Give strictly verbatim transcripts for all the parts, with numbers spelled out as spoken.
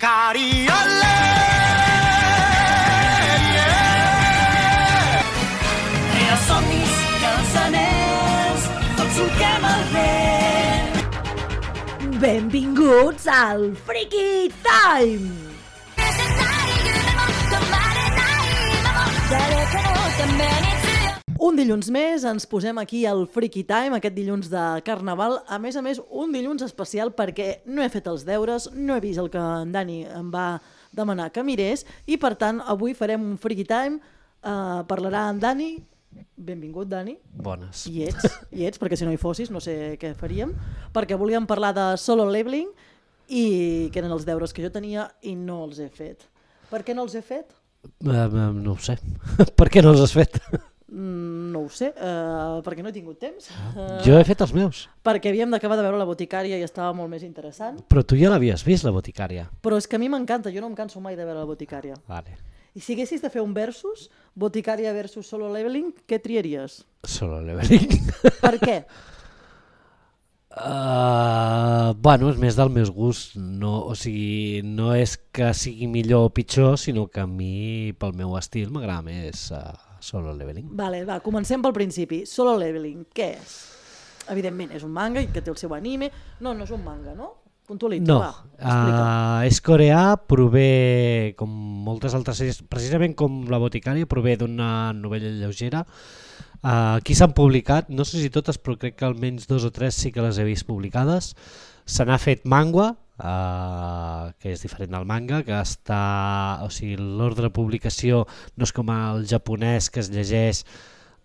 Sicari, olè! I els somnis i els anells, tots solquem el vent. Benvinguts al Freaky Time! Un dilluns més ens posem aquí al Freaky Time, aquest dilluns de Carnaval. A més a més, un dilluns especial perquè no he fet els deures, no he vist el que en Dani em va demanar que mirés i, per tant, avui farem un Freaky Time. Uh, parlarà en Dani. Benvingut, Dani. Bones. I ets, i ets, perquè si no hi fossis no sé què faríem. Perquè volíem parlar de solo leveling i que eren els deures que jo tenia i no els he fet. Per què no els he fet? Uh, uh, no ho sé. Per què no els has fet? Mm, no ho sé, uh, perquè no he tingut temps. Uh, jo he fet els meus. Perquè havíem d'acabar de veure La Boticària i estava molt més interessant. Però tu ja l'havies vist, La Boticària. Però és que a mi m'encanta, jo no em canso mai de veure La Boticària. Vale. I si haguessis de fer un versus, Boticària versus Solo Leveling, què triaries? Solo leveling. Per què? Uh, bueno, és més del meus gust, no, o sigui, no és que sigui millor o pitjor, sinó que a mi, pel meu estil, m'agrada més uh, Solo Leveling. Vale, va, comencem pel principi. Solo Leveling, què és? Evidentment, és un manga i que té el seu anime. No, no és un manga, no? Puntualitza, no, va, explica. Uh, és coreà, prové, com moltes altres sèries, precisament com La Boticària, prové d'una novel·la lleugera. Uh, aquí s'han publicat, no sé si totes, però crec que almenys dos o tres sí que les he vist publicades. Se n'ha fet manga, uh, que és diferent del manga, que està, o sigui, l'ordre de publicació no és com el japonès que es llegeix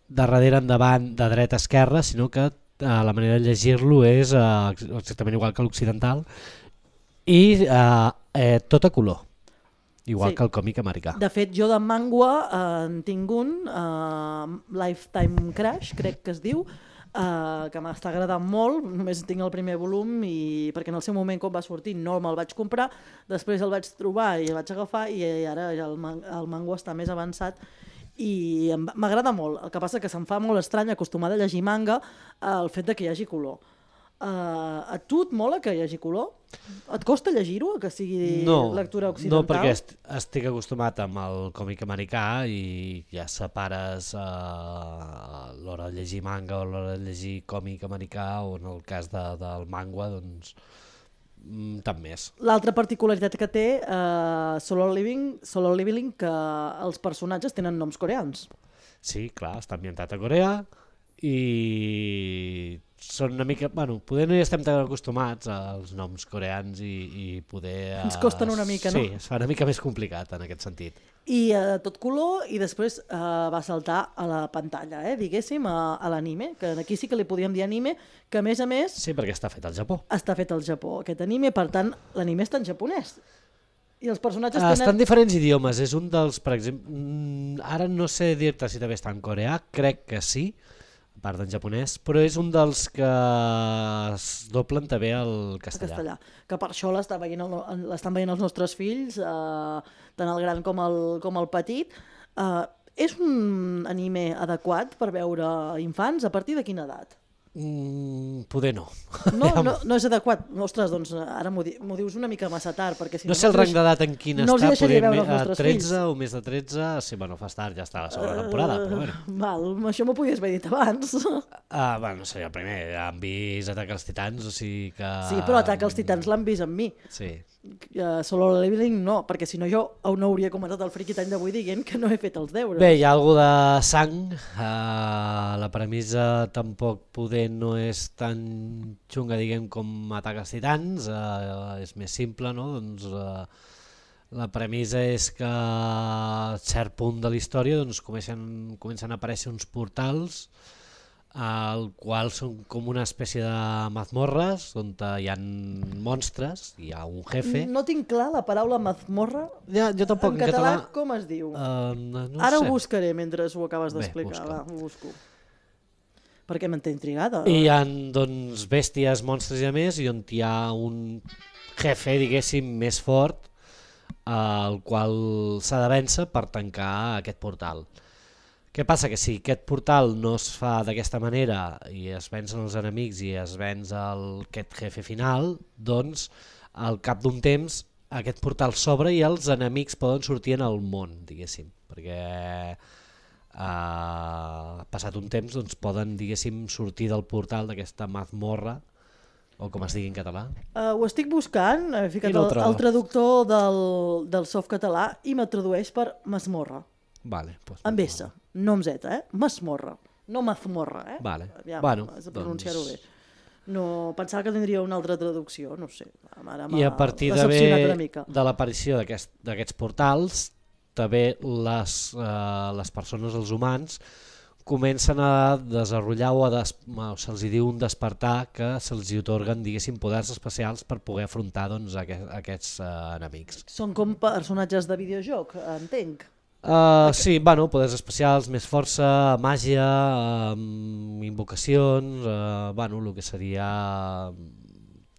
de darrere endavant, de dreta a esquerra, sinó que uh, la manera de llegir-lo és uh, exactament igual que l'occidental i uh, eh, tot a color. Igual sí. Que el còmic americà. De fet, jo de manga eh, en tinc un, eh, Lifetime Crash, crec que es diu, eh, que m'està agradant molt, només tinc el primer volum, i perquè en el seu moment quan va sortir no me'l vaig comprar, després el vaig trobar i el vaig agafar i ara ja el, man el manga està més avançat i m'agrada molt. El que passa que se'm fa molt estrany, acostumada a llegir manga, eh, el fet de que hi hagi color. Uh, a tu et mola que hi hagi color? Et costa llegir-ho, que sigui no, lectura occidental? No, perquè est estic acostumat amb el còmic americà i ja separes uh, l'hora de llegir manga o l'hora de llegir còmic americà, o en el cas de, del manga, doncs mm, tant més. L'altra particularitat que té uh, Solo Leveling, Solo Leveling, que els personatges tenen noms coreans. Sí, clar, està ambientat a Corea i són una mica, bueno, poder no hi estem tan acostumats als noms coreans i, i poder... Ens costen una mica, sí, no? Sí, es fa una mica més complicat en aquest sentit. I uh, tot color, i després uh, va saltar a la pantalla, eh, diguéssim, a, a l'anime, que aquí sí que li podíem dir anime, que a més a més... Sí, perquè està fet al Japó. Està fet al Japó, aquest anime, per tant, l'anime està en japonès. I els personatges uh, tenen... Està en diferents idiomes, és un dels, per exemple, ara no sé dir-te si també està en coreà, crec que sí, a part d'en japonès, però és un dels que es doblen també al castellà. castellà. Que per això l'estan veient, el, veient els nostres fills, eh, tant el gran com el, com el petit. Eh, és un anime adequat per veure infants? A partir de quina edat? Mm, poder no. No, no. No és adequat. Ostres, doncs ara m'ho di dius una mica massa tard. Perquè si no, no sé el rang d'edat en quin no està, poder a tretze fills. O més de tretze, sí, bueno, fa tard, ja està la segona temporada, però bueno. Uh, val, això m'ho podies haver dit abans. Uh, bueno, no sé, el primer, ja han vist Atac als Titans, o sigui que... Sí, però Atac als Titans l'han vist amb mi. Sí. Uh, Solo Leveling no, perquè si no jo no hauria comentat el Freaky Time d'avui dient que no he fet els deures. Bé, hi ha alguna de sang, uh, la premissa tampoc poder no és tan xunga, diguem, com Atac als Titans, uh, és més simple, no? Doncs uh, la premissa és que a cert punt de la història doncs, comencen, comencen a aparèixer uns portals al qual són com una espècie de mazmorres on hi ha monstres, hi ha un jefe. No tinc clar la paraula mazmorra. Ja, jo tampoc. En, en català, català com es diu? Uh, no, no Ara sé. Ho buscaré mentre ho acabes d'explicar. Va, ho busco. Perquè m'en té intrigada. I hi ha doncs, bèsties, monstres i a més, i on hi ha un jefe, diguéssim, més fort, al qual s'ha de vèncer per tancar aquest portal. Què passa? Que si aquest portal no es fa d'aquesta manera i es vencen els enemics i es venç el, aquest jefe final, doncs al cap d'un temps aquest portal s'obre i els enemics poden sortir en el món, diguéssim, perquè uh, passat un temps doncs, poden, diguéssim, sortir del portal d'aquesta mazmorra, o com es digui en català. Uh, ho estic buscant, he ficat I no ho el, trobo. el traductor del, del soft català i me tradueix per masmorra, Vale, doncs, amb S, no amb Z, eh? Masmorra, no mazmorra, eh? Vale. Aviam, Bueno, has de pronunciar-ho doncs- bé. No, pensava que tindria una altra traducció, no sé. Ara m'ha I a partir decepcionat una d'haver mica. de l'aparició d'aquest- d'aquests portals, també les, uh, les persones, els humans, comencen a desenvolupar o a des, se'ls diu un despertar que se'ls otorguen, diguéssim, poders especials per poder afrontar doncs, aquest, aquests uh, enemics. Són com personatges de videojoc, entenc. Uh, sí, bueno, poders especials, més força, màgia, um, invocacions, uh, bueno, el que seria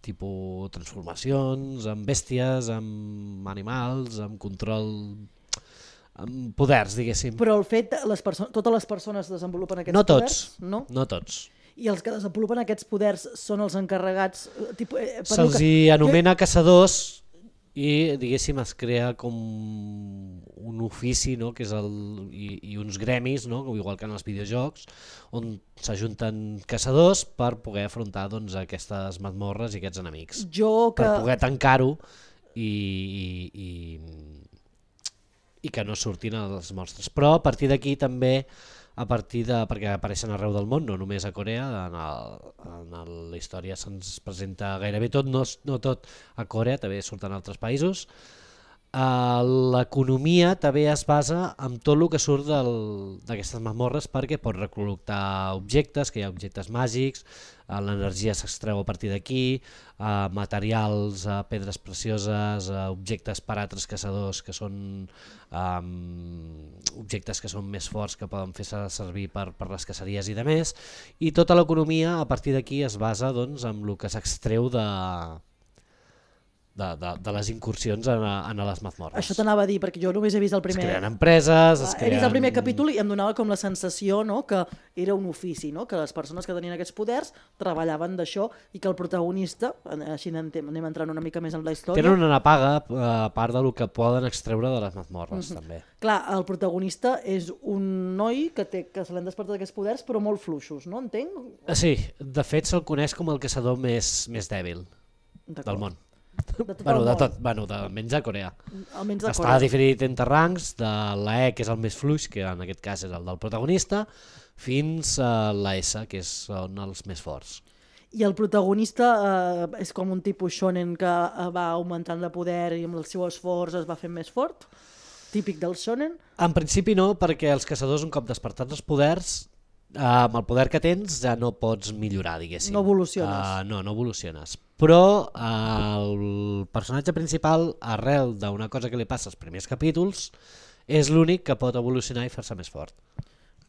tipus transformacions, amb bèsties, amb animals, amb control, amb poders, diguéssim. Però el fet, les perso- totes les persones desenvolupen aquests No tots, poders? No? no tots. I els que desenvolupen aquests poders són els encarregats... Eh, tipus, eh, per Se'ls lo que- hi anomena caçadors i, diguéssim, es crea com un ofici, no? Que és el, i, i uns gremis, no? Igual que en els videojocs, on s'ajunten caçadors per poder afrontar doncs, aquestes mazmorres i aquests enemics. Jo que... Per poder tancar-ho i, i, i, i que no surtin els monstres. Però a partir d'aquí també, a partir de, perquè apareixen arreu del món, no només a Corea, en, el, en el, la història se'ns presenta gairebé tot, no, no tot a Corea, també surten altres països. Uh, l'economia també es basa en tot el que surt del- d'aquestes mazmorres, perquè pot recol·lectar objectes, que hi ha objectes màgics, uh, l'energia s'extreu a partir d'aquí, uh, materials, uh, pedres precioses, uh, objectes per altres caçadors que són um, objectes que són més forts, que poden fer servir per, per les caceries i de més, i tota l'economia a partir d'aquí es basa doncs, en el que s'extreu de... De, de, de les incursions en, en les mazmorres. Això t'anava a dir, perquè jo només he vist el primer... Es creen empreses, es He creen... vist el primer capítol i em donava com la sensació, no?, que era un ofici, no?, que les persones que tenien aquests poders treballaven d'això i que el protagonista, així anem, anem entrant una mica més en la història... Tenen una paga a part del que poden extreure de les mazmorres, Mhm. també. Clar, el protagonista és un noi que, té, que se l'han despertat aquests poders, però molt fluixos, no? Entenc? Sí, de fet se'l coneix com el caçador més, més dèbil D'acord. del món. De tot Bueno, el de món. tot, bueno, de, almenys a Corea. Almenys de Està Corea. dividit entre rangs, de la E, que és el més fluix, que en aquest cas és el del protagonista, fins a la S, que són els més forts. I el protagonista eh, és com un tipus shonen que eh, va augmentant de poder i amb el seu esforç es va fent més fort? Típic del shonen? En principi no, perquè els caçadors, un cop despertats els poders, eh, amb el poder que tens ja no pots millorar, diguéssim. No evoluciones. Uh, no, no evoluciones. Però uh, el personatge principal, arrel d'una cosa que li passa als primers capítols, és l'únic que pot evolucionar i fer-se més fort.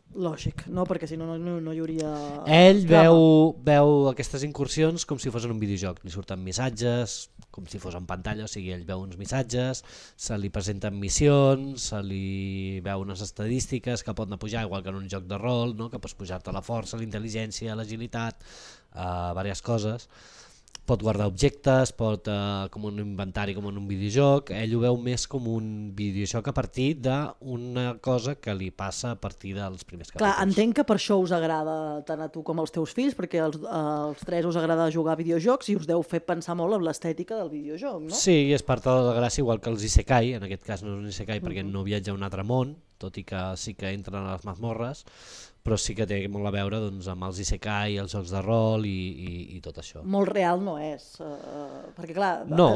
Lògic, no? Perquè si no, no, no hi hauria... Ell drama. veu, veu aquestes incursions com si fos en un videojoc, li surten missatges, com si fos en pantalla, o sigui, ell veu uns missatges, se li presenten missions, se li veu unes estadístiques que pot anar pujar, igual que en un joc de rol, no? Que pots pujar-te la força, la intel·ligència, l'agilitat, uh, diverses coses. Pot guardar objectes, pot, uh, com un inventari, com en un videojoc. Ell ho veu més com un videojoc a partir d'una cosa que li passa a partir dels primers capítols. Clar, entenc que per això us agrada tant a tu com als teus fills, perquè als, als tres us agrada jugar a videojocs i us deu fer pensar molt en l'estètica del videojoc, no? Sí, és part de la gràcia, igual que els isekai, en aquest cas no és un isekai perquè no viatja a un altre món, tot i que sí que entren a les mazmorres, però sí que té molt a veure doncs, amb els isekai, els jocs de rol i, i, i tot això. Molt real no és, uh, perquè clar, No.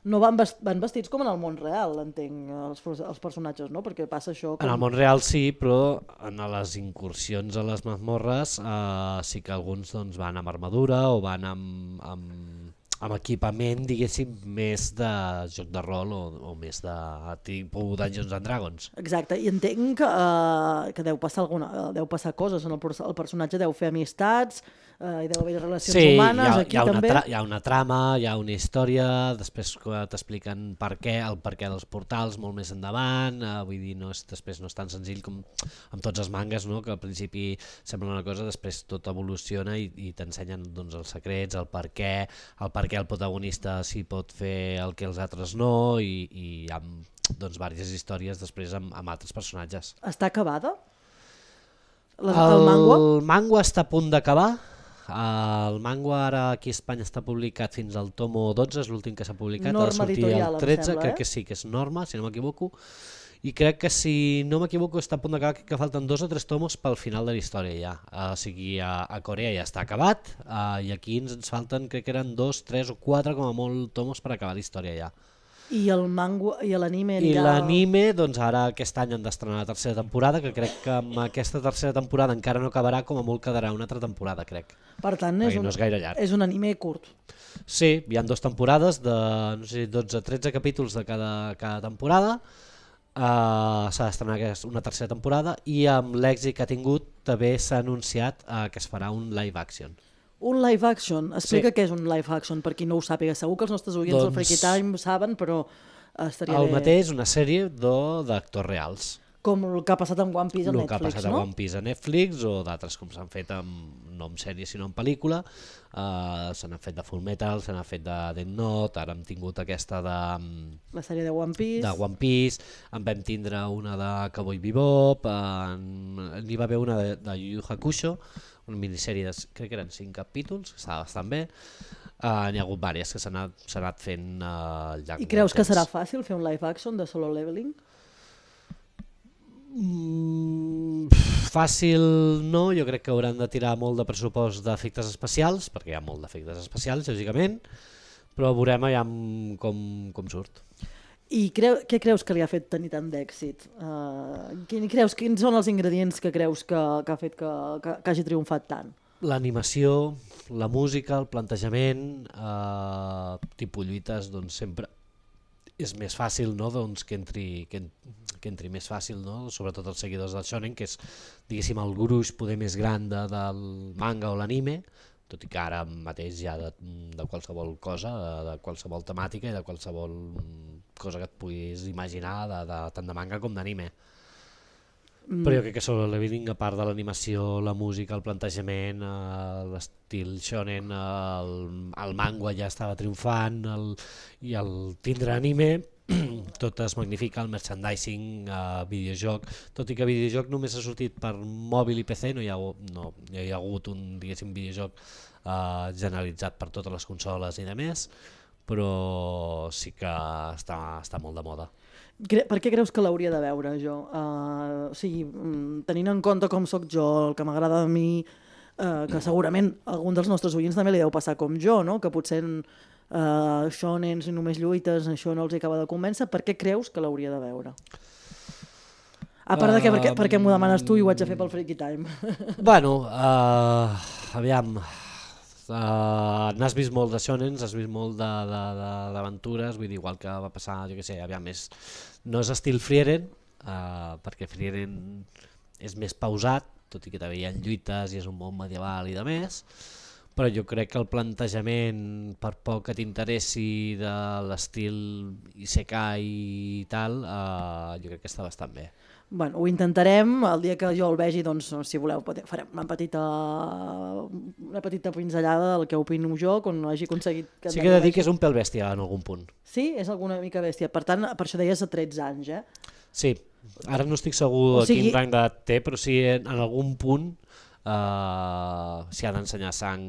no van, vest, van vestits com en el món real, entenc, els, els personatges, no? Perquè passa això... Com... En el món real sí, però en les incursions a les mazmorres eh, sí que alguns doncs, van amb armadura o van amb, amb, amb equipament, diguéssim, més de joc de rol o, o més de tipus Dungeons and Dragons. Exacte, i entenc que, uh, que deu passar alguna, deu passar coses, en el, el personatge deu fer amistats, uh, hi deu haver relacions sí, humanes, hi ha, aquí hi ha una també. Tra hi ha una trama, hi ha una història, després t'expliquen per què, el per què dels portals molt més endavant, uh, vull dir, no és, després no és tan senzill com amb tots els mangas, no? Que al principi sembla una cosa, després tot evoluciona i, i t'ensenyen doncs, els secrets, el per què, el per què el protagonista sí pot fer el que els altres no, i, i amb doncs, diverses històries després amb, amb altres personatges. Està acabada? La, el, el manga? El manga està a punt d'acabar. El manga ara aquí a Espanya està publicat fins al tomo dotze, és l'últim que s'ha publicat, ha de Norma sortir Editorial, el em tretze, sembla, crec eh? que sí, que és Norma, si no m'equivoco, i crec que si no m'equivoco està a punt d'acabar, que falten dos o tres tomos pel final de la història ja, uh, o sigui a, a Corea ja està acabat, uh, i aquí ens, ens falten, crec que eren dos, tres o quatre com a molt tomos per acabar la història ja. I el manga i l'anime I anirà... l'anime, doncs ara aquest any han d'estrenar la tercera temporada, que crec que amb aquesta tercera temporada encara no acabarà, com a molt quedarà una altra temporada, crec. Per tant, és Perquè un, no és gaire llarg. és un anime curt. Sí, hi ha dues temporades de no sé, dotze a tretze capítols de cada, cada temporada, uh, s'ha d'estrenar una tercera temporada i amb l'èxit que ha tingut també s'ha anunciat uh, que es farà un live action. Un live action, explica Sí. què és un live action, per qui no ho sàpiga. Segur que els nostres oients doncs... del Freaky Time ho saben, però estaria El bé. mateix, una sèrie d'actors reals. Com el que ha passat amb One Piece a El Netflix, que ha passat no? a One Piece a Netflix o d'altres com s'han fet amb, no en sèrie sinó en pel·lícula, uh, se n'ha fet de Full Metal, se n'ha fet de Death Note, ara hem tingut aquesta de, La sèrie de One Piece. de One Piece, en vam tindre una de Cowboy Bebop, en, n'hi va haver una de, de Yu Yu Hakusho, una minissèrie de, crec que eren cinc capítols, que estava bastant bé. Uh, n'hi ha hagut diverses que s'han anat, s'han anat fent uh, al llarg I creus del que temps. serà fàcil fer un live action de Solo Leveling? Mm, fàcil no, jo crec que hauran de tirar molt de pressupost d'efectes especials, perquè hi ha molt d'efectes especials, lògicament, però veurem ja com, com surt. I creu, què creus que li ha fet tenir tant d'èxit? Uh, quin, creus, quins són els ingredients que creus que, que ha fet que, que, que hagi triomfat tant? L'animació, la música, el plantejament, eh, tipus lluites, doncs sempre és més fàcil, no? Doncs que entri, que, en, que entri més fàcil, no? Sobretot els seguidors del shonen, que és diguéssim el gruix poder més gran de, del manga o l'anime, tot i que ara mateix ja de, de qualsevol cosa, de qualsevol temàtica i de qualsevol cosa que et puguis imaginar, de, de, tant de manga com d'anime. Mm. Però jo crec que Solo Leveling, a part de l'animació, la música, el plantejament, eh, l'estil shonen, el, el manga ja estava triomfant, el, i el tindre anime, tot es magnifica, el merchandising, eh, videojoc, tot i que videojoc només ha sortit per mòbil i P C, no hi ha, no, hi ha hagut un diguéssim videojoc eh, generalitzat per totes les consoles i de més, però sí que està, està molt de moda. Per què creus que l'hauria de veure jo? Uh, o sigui, tenint en compte com sóc jo, el que m'agrada a mi, uh, que segurament algun dels nostres oients també li deu passar com jo, no? Que potser uh, shonens i només lluites, això no els acaba de convèncer, per què creus que l'hauria de veure? A part de que per què, per què m'ho demanes tu i ho haig de fer pel Freaky Time? Bueno, uh, aviam... Uh, n'has vist molt de shonens, has vist molt d'aventures, vull dir, igual que va passar, jo què sé, aviam, és, no és estil Frieren, uh, perquè Frieren és més pausat, tot i que també hi ha lluites i és un món medieval i de més, però jo crec que el plantejament, per poc que t'interessi de l'estil Isekai i tal, uh, jo crec que està bastant bé. Bueno, ho intentarem, el dia que jo el vegi, doncs, si voleu, farem una petita, una petita pinzellada del que opino jo, quan no hagi aconseguit... Que sí que he de dir que és un pèl bèstia en algun punt. Sí? És alguna mica bèstia. Per tant, per això deies a tretze anys, eh? Sí, ara no estic segur o sigui... quin rang d'edat té, però sí en, en algun punt uh, si ha d'ensenyar sang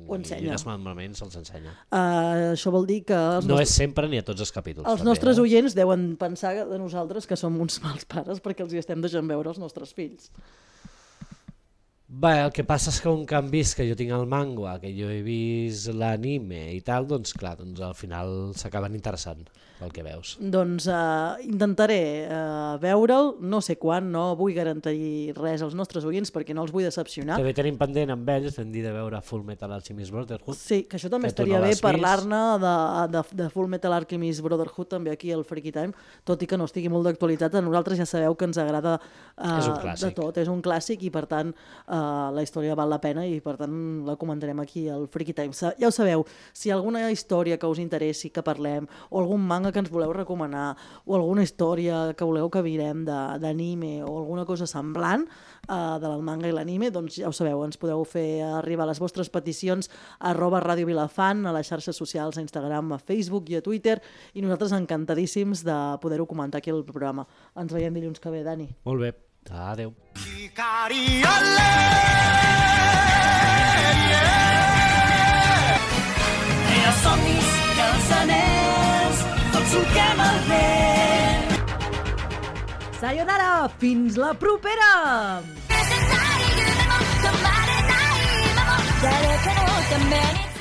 i desmembrament se'ls ensenya. Uh, això vol dir que... Els no nostres... és sempre ni a tots els capítols. Els també, nostres eh? oients deuen pensar de nosaltres que som uns mals pares perquè els hi estem deixant veure els nostres fills. Bé, el que passa és que un que han vist que jo tinc el manga, que jo he vist l'anime i tal, doncs clar, doncs al final s'acaben interessant el que veus. Doncs uh, intentaré uh, veure'l, no sé quan, no vull garantir res als nostres oients perquè no els vull decepcionar. També tenim pendent amb ells, hem dit de veure Full Metal Alchemist Brotherhood. Sí, que això també que estaria no bé vist. parlar-ne de, de, de Full Metal Alchemist Brotherhood també aquí al Freaky Time, tot i que no estigui molt d'actualitat, a nosaltres ja sabeu que ens agrada uh, És un clàssic. de tot, és un clàssic i per tant uh, uh, la història val la pena i per tant la comentarem aquí al Freaky Time. Ja ho sabeu, si hi ha alguna història que us interessi que parlem, o algun manga que ens voleu recomanar, o alguna història que voleu que mirem d'anime o alguna cosa semblant uh, del manga i l'anime, doncs ja ho sabeu, ens podeu fer arribar les vostres peticions a arroba Ràdio Vilafant, a les xarxes socials, a Instagram, a Facebook i a Twitter, i nosaltres encantadíssims de poder-ho comentar aquí al programa. Ens veiem dilluns que ve, Dani. Molt bé, adeu. Crea somnis, els anells, tots solquem el vent. Sayonara, fins la propera! 誰かのために